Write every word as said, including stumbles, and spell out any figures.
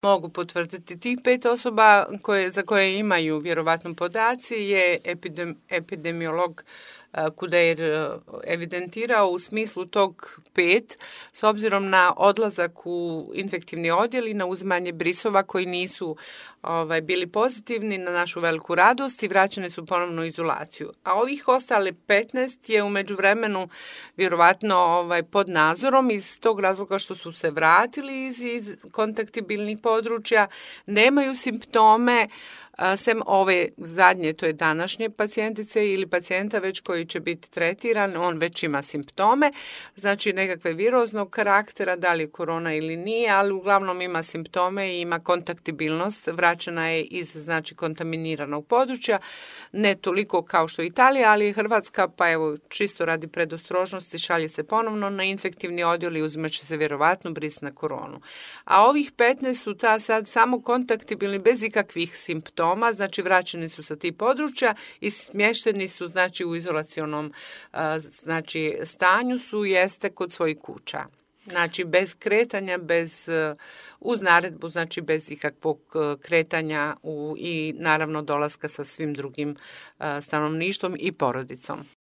Mogu potvrditi. Tih pet osoba koje, za koje imaju vjerovatno podaci je epidem, epidemiolog Kudeir evidentirao u smislu tog pet, s obzirom na odlazak u infektivni odjel i na uzimanje brisova koji nisu ovaj, bili pozitivni, na našu veliku radost, i vraćene su ponovno u izolaciju. A ovih ostale petnaest je u međuvremenu vjerovatno ovaj, pod nadzorom iz tog razloga što su se vratili iz, iz kontaktibilnih područja, nemaju simptome, sem ove zadnje, to je današnje pacijentice ili pacijenta već koji će biti tretiran, on već ima simptome, znači nekakve viroznog karaktera, da li je korona ili nije, ali uglavnom ima simptome i ima kontaktibilnost, vraćena je iz znači kontaminiranog područja, ne toliko kao što je Italija, ali je Hrvatska, pa evo čisto radi predostrožnosti šalje se ponovno na infektivni odjel i uzimat će se vjerovatno bris na koronu. A ovih petnaest su ta sad samo kontaktibilni bez ikakvih simptoma, znači vraćeni su sa tih područja i smješteni su znači u izolacionom znači stanju su jeste kod svojih kuća. Znači bez kretanja, bez uz naredbu, znači bez ikakvog kretanja u, i naravno dolaska sa svim drugim stanovništvom i porodicom.